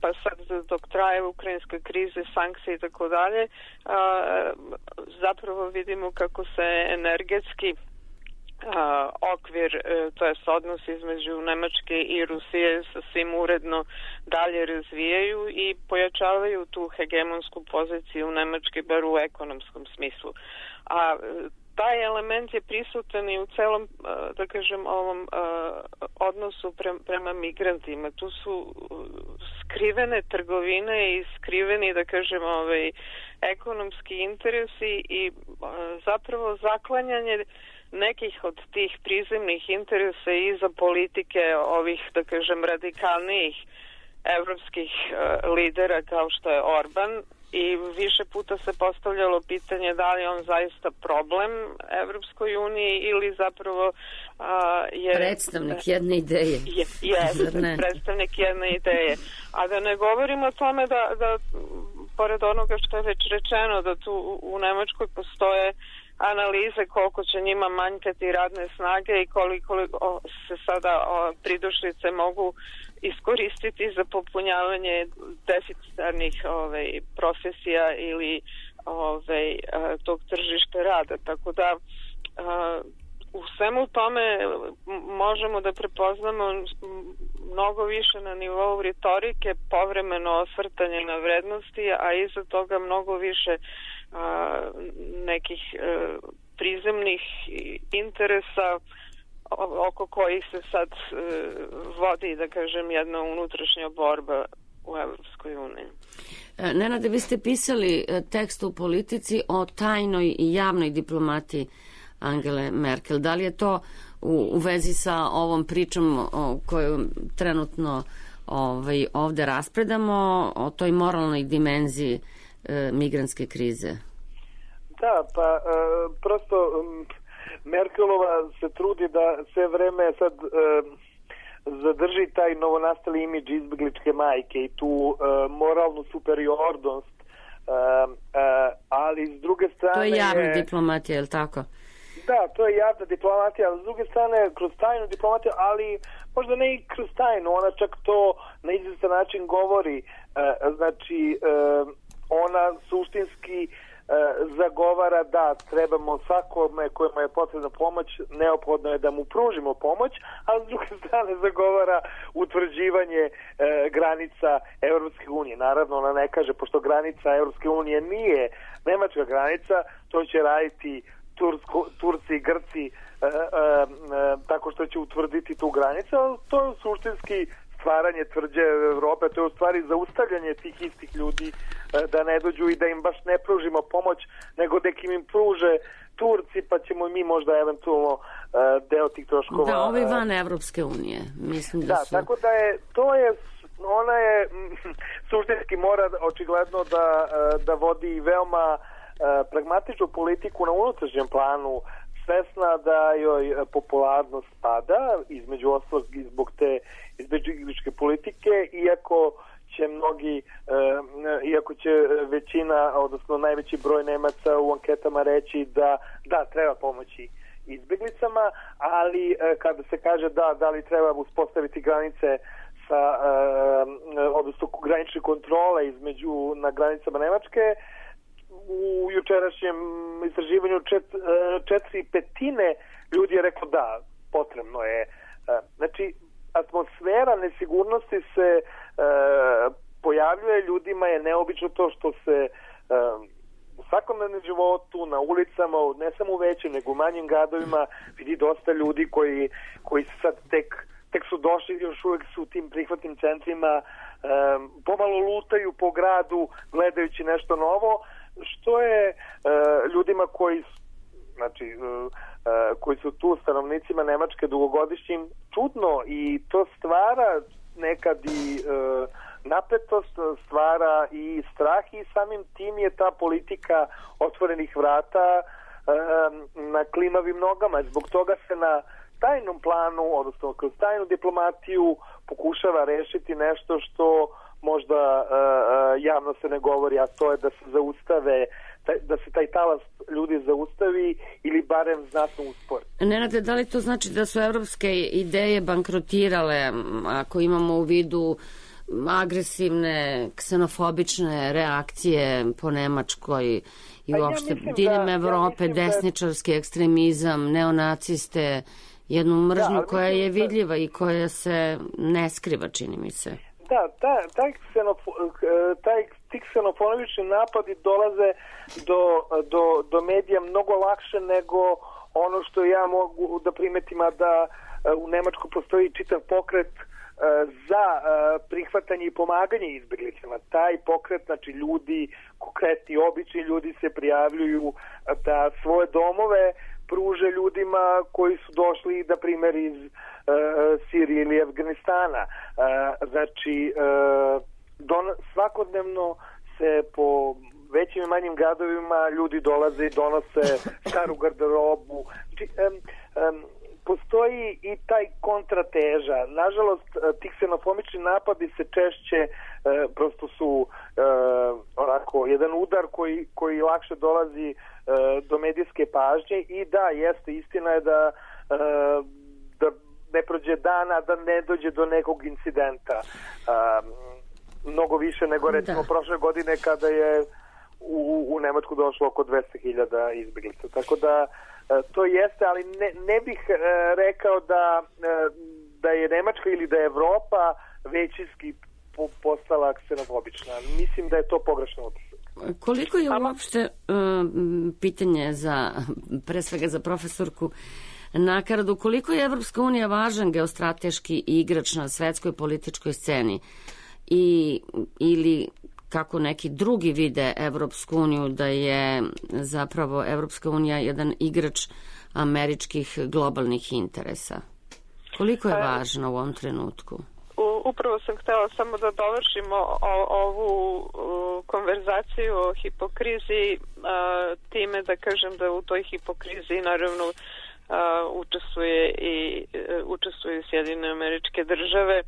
pa sad dok traje ukrajinska kriza, sankcije i tako dalje, zapravo vidimo kako se energetski Uh, okvir, uh, to je odnos između Nemačke i Rusije sasvim uredno dalje razvijaju i pojačavaju tu hegemonsku poziciju Nemačke, bar u ekonomskom smislu. A uh, taj element je prisutan i u celom, uh, da kažem, ovom uh, odnosu pre, prema migrantima. Tu su uh, skrivene trgovine i skriveni, da kažem, ovaj, ekonomski interesi i uh, zapravo zaklanjanje nekih od tih prizemnih interesa i za politike ovih, da kažem, radikalnijih evropskih uh, lidera kao što je Orban, i više puta se postavljalo pitanje da li on zaista problem Evropskoj uniji ili zapravo uh, je predstavnik jedne ideje. Je, je predstavnik jedne ideje. A da ne govorimo o tome da, da pored onoga što je već rečeno, da tu u Nemačkoj postoje analize koliko će njima manjkati radne snage i koliko o, se sada o, pridošlice mogu iskoristiti za popunjavanje deficitarnih ovaj, profesija ili ovaj, tog tržišta rada. Tako da a, u svemu tome možemo da prepoznamo mnogo više na nivou retorike, povremeno osvrtanje na vrednosti, a iza toga mnogo više a, nekih a, prizemnih interesa oko kojih se sad a, vodi, da kažem, jedna unutrašnja borba u Evropskoj uniji. Nenade, vi ste pisali tekst u Politici o tajnoj i javnoj diplomatiji Angele Merkel. Da li je to u, u vezi sa ovom pričom o koju trenutno ovaj, ovde raspredamo, o toj moralnoj dimenziji e, migrantske krize? Da, pa e, prosto m, Merkelova se trudi da sve vreme sad e, zadrži taj novonastali imidž izbegličke majke i tu e, moralnu superiornost, e, e, ali s druge strane... To je javna diplomatija, je li tako? Da, to je javna diplomatija, ali s druge strane kroz tajnu diplomatiju, ali možda ne i kroz tajnu, ona čak to na izvestan način govori, e, znači e, ona suštinski zagovara da trebamo svakome kojima je potrebna pomoć, neophodno je da mu pružimo pomoć, a s druge strane zagovara utvrđivanje e, granica Evropske unije. Naravno, ona ne kaže, pošto granica Evropske unije nije nemačka granica, to će raditi Tursko, Turci i Grci e, e, e, tako što će utvrditi tu granicu, ali to je suštinski stvaranje tvrđe Evrope, to je u stvari zaustavljanje tih istih ljudi da ne dođu i da im baš ne pružimo pomoć, nego da im pruže Turci, pa ćemo mi možda eventualno deo tih troškova... Da, ovi van Evropske unije, mislim da, da su... Da, tako da je, to je, ona je suštinski mora očigledno da, da vodi veoma pragmatičnu politiku na unutrašnjem planu, svesna da joj popularnost pada, između ostalog i zbog te izbegličke politike, iako će mnogi, uh, iako će većina, odnosno najveći broj Nemaca u anketama reći da da, treba pomoći izbeglicama, ali uh, kada se kaže da, da li treba uspostaviti granice sa, uh, odnosno granične kontrole između, na granicama Nemačke, u jučerašnjem istraživanju čet, četiri petine ljudi je reklo da, potrebno je. Znači, atmosfera nesigurnosti se uh, pojavljuje, ljudima je neobično to što se uh, u svakodnevnom životu, na ulicama, ne samo u većim, nego u manjim gradovima vidi dosta ljudi koji, koji sad tek, tek su došli, još uvijek su u tim prihvatnim centrima, um, pomalo lutaju po gradu gledajući nešto novo, što je uh, ljudima koji znači uh, uh, koji su tu stanovnicima Nemačke dugogodišnjim čudno, i to stvara nekad i uh, napetost, stvara i strah, i samim tim je ta politika otvorenih vrata uh, na klimavim nogama. Zbog toga se na tajnom planu, odnosno kroz tajnu diplomatiju pokušava rešiti nešto što možda uh, javno se ne govori, a to je da se zaustave, da se taj talas ljudi zaustavi ili barem znatno uspori. Nenade, da li to znači da su evropske ideje bankrotirale, ako imamo u vidu agresivne, ksenofobične reakcije po Nemačkoj i uopšte ja diljem Evrope, ja desničarski da... ekstremizam, neonaciste, jednu mržnju da, koja je vidljiva da... i koja se ne skriva, čini mi se. Da, ta, taj, ksenofo, taj, ti ksenofobični napadi dolaze do, do, do medija mnogo lakše nego ono što ja mogu da primetim, a da u Nemačkoj postoji čitav pokret za prihvatanje i pomaganje izbeglicama. Taj pokret, znači ljudi, konkretni, obični ljudi se prijavljuju da svoje domove pruže ljudima koji su došli, da primjer, iz uh, Sirije ili Afganistana. Uh, znači, uh, don, svakodnevno se po većim i manjim gradovima ljudi dolaze i donose staru garderobu. Znači, um, um, postoji i taj kontrateža. Nažalost, ti ksenofobični napadi se češće, uh, prosto su uh, onako, jedan udar koji, koji lakše dolazi uh, do medijske pažnje, i da, jeste, istina je da, uh, da ne prođe dana, da ne dođe do nekog incidenta. Uh, mnogo više nego recimo da. prošle godine kada je u, u Nemačku došlo oko dvesta hiljada izbjeglica. Tako da to jeste, ali ne, ne bih e, rekao da, e, da je Nemačka ili da je Evropa većinski po, postala ksenofobična. Mislim da je to pogrešno utisak. Koliko je uopšte e, pitanje za, pre svega za profesorku Nakaradu, koliko je Evropska unija važan geostrateški igrač na svetskoj političkoj sceni? i, ili kako neki drugi vide Evropsku uniju, da je zapravo Evropska unija jedan igrač američkih globalnih interesa? Koliko je važno u ovom trenutku? Upravo sam htela samo da dovršimo o, ovu o, konverzaciju o hipokrizi a, time da kažem da u toj hipokrizi naravno a, učestvuje i a, učestvuju Sjedinjene Američke Države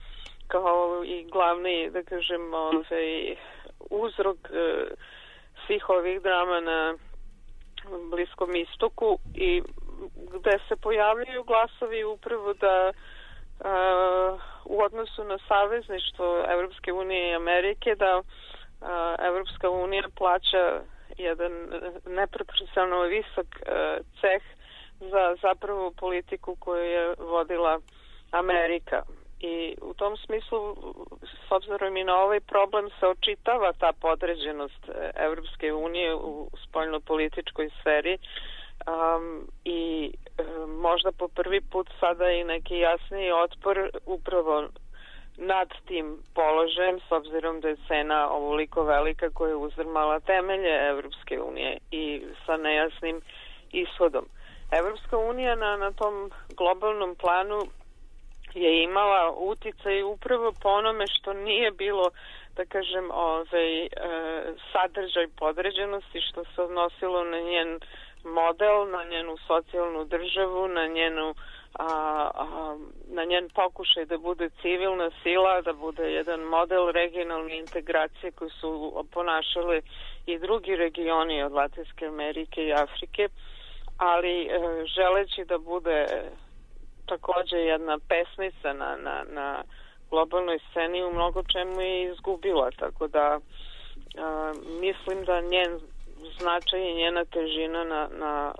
kao i glavni, da kažem, ovaj, uzrok a, svih ovih drama na Bliskom istoku i gde se pojavljaju glasovi upravo da Uh, u odnosu na savezništvo Evropske unije i Amerike, da uh, Evropska unija plaća jedan neproporcionalno visok uh, ceh za zapravo politiku koju je vodila Amerika. I u tom smislu, s obzirom i na ovaj problem, se očitava ta podređenost Evropske unije u spoljnopolitičkoj sferi. Um, i um, možda po prvi put sada i neki jasniji otpor upravo nad tim položajem, s obzirom da je cena ovoliko velika koja je uzdrmala temelje Evropske unije i sa nejasnim ishodom. Evropska unija na, na tom globalnom planu je imala uticaj upravo po onome što nije bilo, da kažem, ovaj, e, sadržaj podređenosti, što se odnosilo na njen model, na njenu socijalnu državu, na njenu a, a, na njen pokušaj da bude civilna sila, da bude jedan model regionalne integracije koji su ponašali i drugi regioni od Latinske Amerike i Afrike, ali e, želeći da bude takođe jedna pesnica na, na, na globalnoj sceni, u mnogo čemu je izgubila, tako da a, mislim da njen značaj i njena težina na, na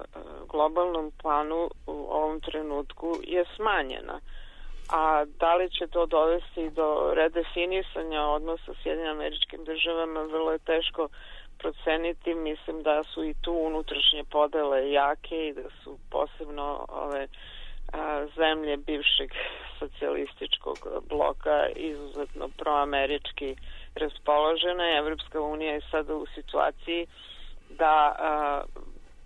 globalnom planu u ovom trenutku je smanjena. A da li će to dovesti do redefinisanja odnosa s Sjedinjenim Američkim Državama, vrlo je teško proceniti. Mislim da su i tu unutrašnje podele jake i da su posebno ove a, zemlje bivšeg socijalističkog bloka izuzetno proamerički raspoložene. Evropska unija je sada u situaciji da a,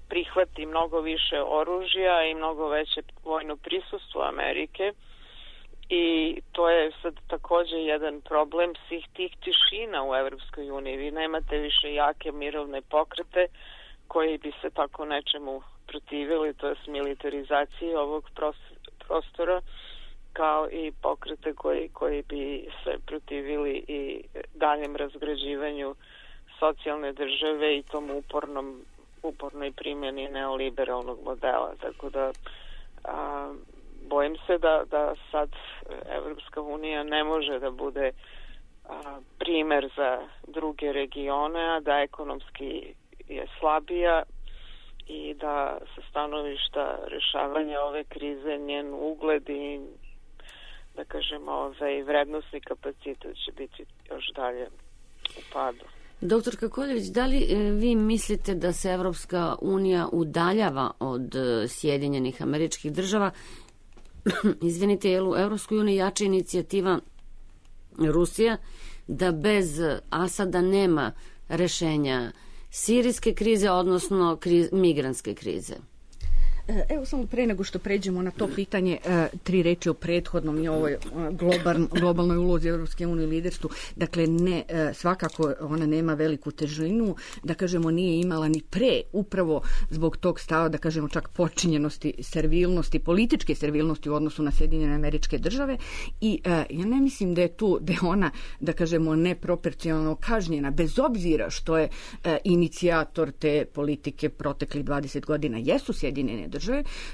prihvati mnogo više oružja i mnogo veće vojno prisustvo Amerike i to je sad takođe jedan problem svih tih tišina u Evropskoj uniji. Vi nemate više jake mirovne pokrete koji bi se tako nečemu protivili, to je militarizaciji ovog prostora, kao i pokrete koji, koji bi se protivili i daljem razgrađivanju socijalne države i tom upornom, upornoj primjeni neoliberalnog modela. Tako da a, bojim se da, da sad Evropska unija ne može da bude a, primer za druge regione, a da ekonomski je slabija i da sa stanovišta rešavanja ove krize njen ugled i, da kažemo, ovaj vrednosni kapacitet će biti još dalje u padu. Doktor Koljević, da li vi mislite da se Evropska unija udaljava od Sjedinjenih Američkih Država? Izvinite, je li u Evropskoj uniji jača inicijativa Rusija da bez Asada nema rešenja sirijske krize, odnosno kriz, migrantske krize? Evo samo pre nego što pređemo na to pitanje, tri reči o prethodnom i ovoj globalnoj, globalnoj ulozi Evropske unije i liderstvu. Dakle, ne, svakako ona nema veliku težinu, da kažemo nije imala ni pre, upravo zbog tog stava, da kažemo čak počinjenosti, servilnosti, političke servilnosti u odnosu na Sjedinjene Američke Države i ja ne mislim da je tu, da je ona, da kažemo, neproporcionalno kažnjena, bez obzira što je inicijator te politike proteklih dvadeset godina jesu Sjedinjene Države.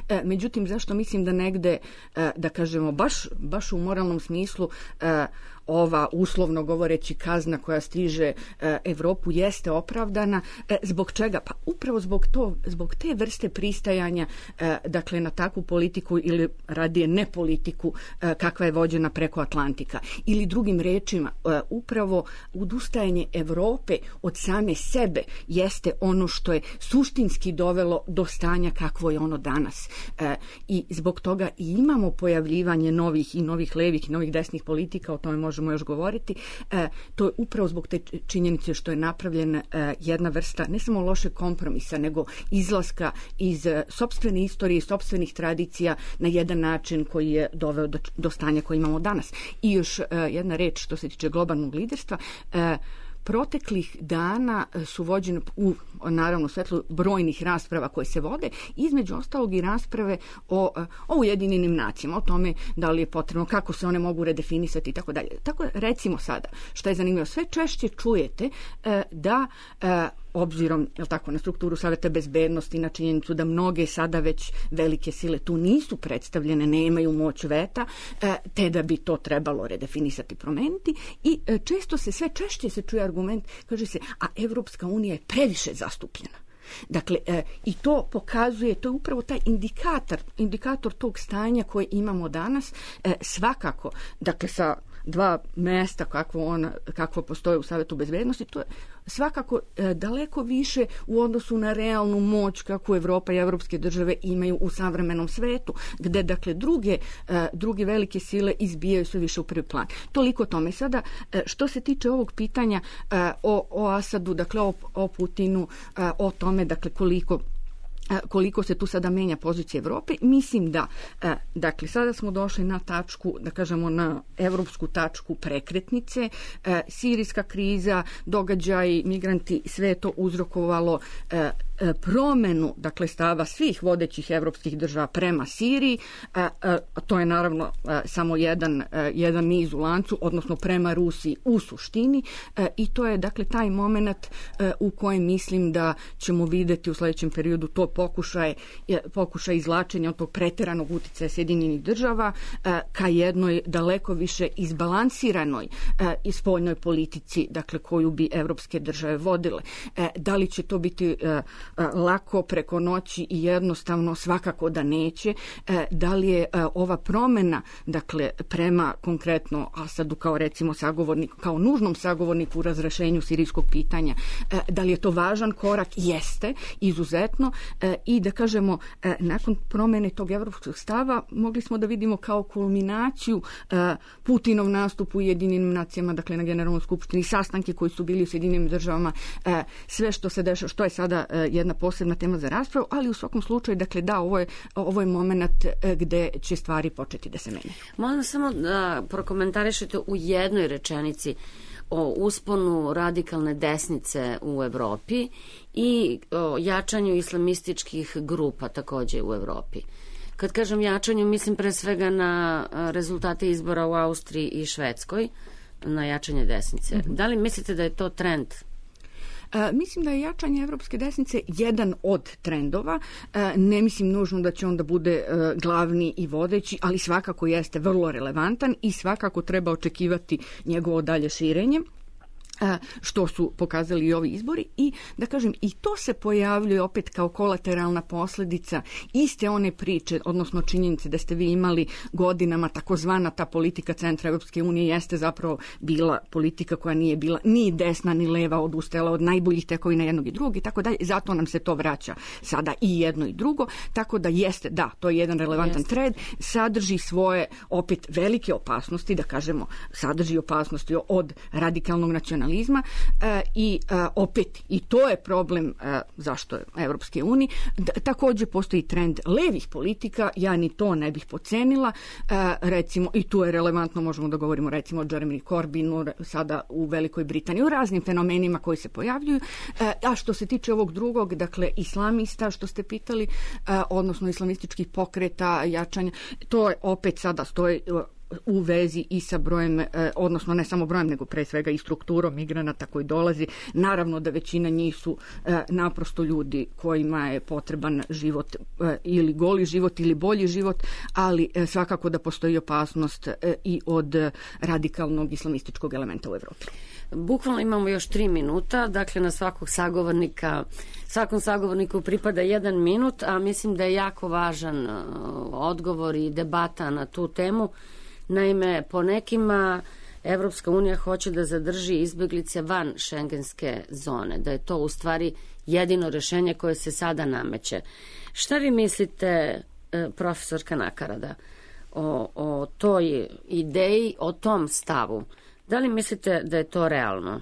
E, međutim, zašto mislim da negde, e, da kažemo, baš, baš u moralnom smislu e, ova, uslovno govoreći, kazna koja stiže e, Evropu jeste opravdana. E, zbog čega? Pa upravo zbog, to, zbog te vrste pristajanja, e, dakle, na takvu politiku ili radije ne politiku e, kakva je vođena preko Atlantika. Ili drugim rečima, e, upravo udustajanje Evrope od same sebe jeste ono što je suštinski dovelo do stanja kakvo je ono danas. E, I zbog toga i imamo pojavljivanje novih i novih levih i novih desnih politika, o tome možemo možemo još govoriti. E, to je upravo zbog te činjenice što je napravljena e, jedna vrsta ne samo lošeg kompromisa, nego izlaska iz e, sopstvene istorije, sopstvenih tradicija na jedan način koji je doveo do, do stanja koje imamo danas. I još e, jedna reč što se tiče globalnog liderstva. E, Proteklih dana su vođene u, naravno, svetlu brojnih rasprava koje se vode, između ostalog i rasprave o, o Ujedinjenim nacijama, o tome da li je potrebno, kako se one mogu redefinisati i tako dalje. Tako recimo sada, što je zanimljivo, sve češće čujete e, da e, obzirom, jel tako, na strukturu Saveta bezbednosti, na činjenicu da mnoge sada već velike sile tu nisu predstavljene, nemaju moć veta, te da bi to trebalo redefinisati, promeniti i često se, sve češće se čuje argument, kaže se, a Evropska unija je previše zastupljena. Dakle, e, i to pokazuje, to je upravo taj indikator, indikator tog stanja koje imamo danas, e, svakako, dakle, sa dva mesta kakvo, on, kakvo postoje u Savetu bezbednosti, to je svakako e, daleko više u odnosu na realnu moć kako Evropa i evropske države imaju u savremenom svetu, gde, dakle, druge, e, druge velike sile izbijaju sve više u prvi plan. Toliko tome. Sada, e, što se tiče ovog pitanja e, o, o Asadu, dakle, o, o Putinu, e, o tome, dakle, koliko koliko se tu sada menja pozicija Evrope, mislim da, dakle, sada smo došli na tačku, da kažemo, na evropsku tačku prekretnice, sirijska kriza, događaji, migranti, sve to uzrokovalo promenu, dakle, stava svih vodećih evropskih država prema Siriji, a, a, to je naravno a, samo jedan, a, jedan niz u lancu, odnosno prema Rusiji u suštini, a, i to je, dakle, taj moment a, u kojem mislim da ćemo videti u sljedećem periodu to pokušaj, pokušaj izvlačenja od tog preteranog uticaja Sjedinjenih država a, ka jednoj daleko više izbalansiranoj a, i spoljnoj politici, dakle, koju bi evropske države vodile. A, da li će to biti a, lako preko noći i jednostavno? Svakako da neće. Da li je ova promjena, dakle, prema konkretno Asadu kao, recimo, sagovornik, kao nužnom sagovorniku u razrešenju sirijskog pitanja, da li je to važan korak? Jeste, izuzetno, i da kažemo, nakon promjene tog evropskog stava mogli smo da vidimo kao kulminaciju Putinov nastup u Ujedinjenim nacijama, dakle, na Generalnoj skupštini, sastanke koji su bili u Sjedinjenim državama, sve što se dešava, što je sada jedna posebna tema za raspravu, ali u svakom slučaju, dakle, da, ovo je, ovo je moment gde će stvari početi da se menjaju. Molim samo da prokomentarišete u jednoj rečenici o usponu radikalne desnice u Evropi i o jačanju islamističkih grupa takođe u Evropi. Kad kažem jačanju, mislim pre svega na rezultate izbora u Austriji i Švedskoj, na jačanje desnice. Mm-hmm. Da li mislite da je to trend? E, mislim da je jačanje evropske desnice jedan od trendova. E, ne mislim nužno da će on da bude e, glavni i vodeći, ali svakako jeste vrlo relevantan i svakako treba očekivati njegovo dalje širenje, što su pokazali i ovi izbori, i da kažem, i to se pojavljuje opet kao kolateralna posljedica iste one priče, odnosno činjenice da ste vi imali godinama takozvana ta politika centra Evropske unije jeste zapravo bila politika koja nije bila ni desna ni leva, odustala od najboljih tekovina jednog i drugog i tako dalje, zato nam se to vraća sada i jedno i drugo, tako da jeste, da, to je jedan relevantan jeste. Trend, sadrži svoje opet velike opasnosti, da kažemo, sadrži opasnosti od radikalnog nacionalizma, E, i e, opet i to je problem e, zašto je Evropske unije. D- također postoji trend levih politika, ja ni to ne bih pocenila, e, recimo, i tu je relevantno, možemo da govorimo recimo o Jeremy Corbynu sada u Velikoj Britaniji, u raznim fenomenima koji se pojavljuju, e, a što se tiče ovog drugog, dakle, islamista, što ste pitali, e, odnosno islamističkih pokreta, jačanja, to je opet sada stoji u vezi i sa brojem, odnosno ne samo brojem, nego pre svega i strukturom migranata koji dolazi. Naravno da većina njih su naprosto ljudi kojima je potreban život, ili goli život ili bolji život, ali svakako da postoji opasnost i od radikalnog islamističkog elementa u Evropi. Bukvalno imamo još tri minuta, dakle na svakog sagovornika, svakom sagovorniku pripada jedan minut, a mislim da je jako važan odgovor i debata na tu temu. Naime, po nekima Evropska unija hoće da zadrži izbjeglice van šengenske zone, da je to u stvari jedino rešenje koje se sada nameće. Šta vi mislite, profesorka Nakarada, o, o toj ideji, o tom stavu? Da li mislite da je to realno?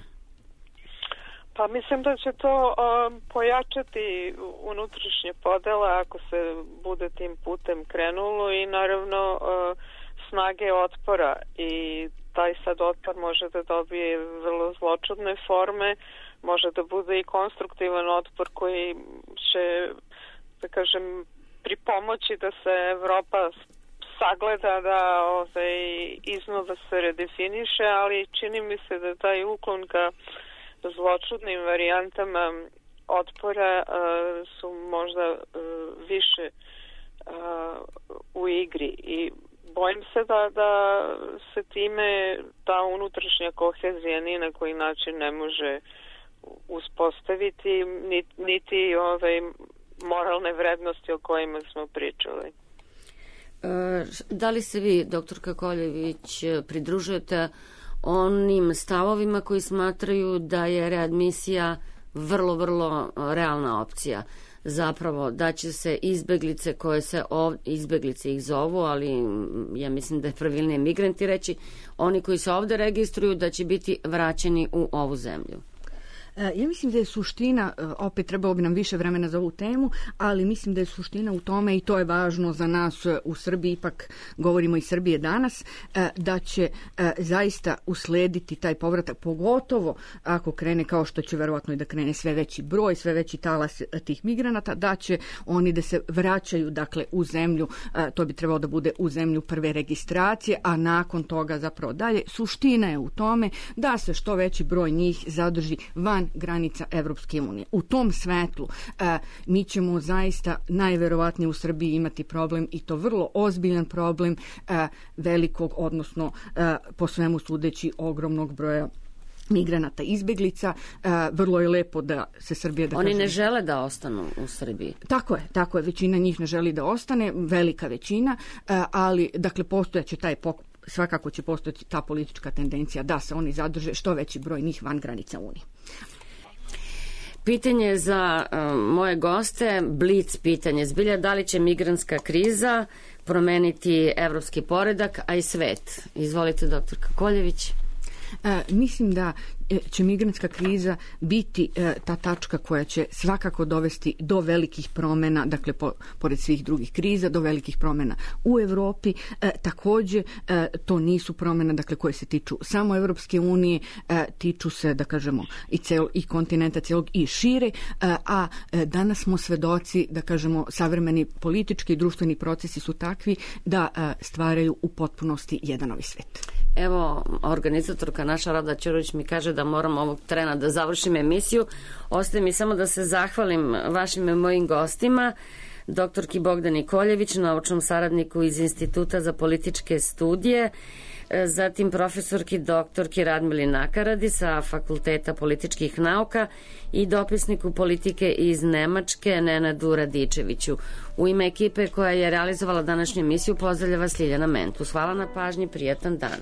Pa mislim da će to um, pojačati unutrašnje podele ako se bude tim putem krenulo i naravno uh, snage otpora i taj sad otpor može da dobije vrlo zločudne forme, može da bude i konstruktivan otpor koji će, da kažem, pripomoći da se Evropa sagleda, da ovaj, iznova se redefiniše, ali čini mi se da taj uklon ka zločudnim varijantama otpora uh, su možda uh, više uh, u igri i bojim se da, da se time ta unutrašnja kohezija ni na koji način ne može uspostaviti, niti, niti ovaj, moralne vrednosti o kojima smo pričali. Da li se vi, doktorka Koljević, pridružujete onim stavovima koji smatraju da je readmisija vrlo, vrlo realna opcija? Zapravo da će se izbeglice koje se ovdje, izbeglice ih zovu, ali ja mislim da je pravilnije migranti reći, oni koji se ovdje registruju da će biti vraćeni u ovu zemlju. Ja mislim da je suština, opet trebalo bi nam više vremena za ovu temu, ali mislim da je suština u tome, i to je važno za nas u Srbiji, ipak govorimo i Srbije danas, da će zaista uslediti taj povratak, pogotovo ako krene, kao što će verovatno i da krene sve veći broj, sve veći talas tih migranata, da će oni da se vraćaju dakle u zemlju, to bi trebalo da bude u zemlju prve registracije, a nakon toga zapravo dalje. Suština je u tome da se što veći broj njih zadrži van granica Evropske unije. U tom svetlu e, mi ćemo zaista najverovatnije u Srbiji imati problem, i to vrlo ozbiljan problem e, velikog, odnosno e, po svemu sudeći ogromnog broja migranata, izbeglica. E, vrlo je lepo da se Srbija... Da Oni kažem, ne žele da ostanu u Srbiji. Tako je, tako je. Većina njih ne želi da ostane, velika većina, e, ali dakle postojaće taj pok svakako će postojati ta politička tendencija da se oni zadrže, što veći broj njih van granica Unije. Pitanje za uh, moje goste, blic pitanje. Zbilja, da li će migrantska kriza promeniti evropski poredak, a i svet? Izvolite, doktorka Koljević. E, mislim da će migrantska kriza biti e, ta tačka koja će svakako dovesti do velikih promjena, dakle po, pored svih drugih kriza, do velikih promjena u Evropi. E, također e, to nisu promjene dakle koje se tiču samo Evropske unije, e, tiču se da kažemo i cel, i kontinenta celog i šire, e, a e, danas smo svedoci da kažemo savremeni politički i društveni procesi su takvi da e, stvaraju u potpunosti jedan novi svet. Evo, organizatorka naša Rada Ćurović mi kaže da moram ovog trena da završim emisiju. Ostaje mi samo da se zahvalim vašim i mojim gostima, doktorki Bogdani Koljević, naučnom saradniku iz Instituta za političke studije, zatim profesorki doktorki Radmili Nakaradi sa Fakulteta političkih nauka i dopisniku politike iz Nemačke Nenadu Radičeviću. U ime ekipe koja je realizovala današnju emisiju pozdravlja vas Ljiljana Mentus. Hvala na pažnji, prijatan dan.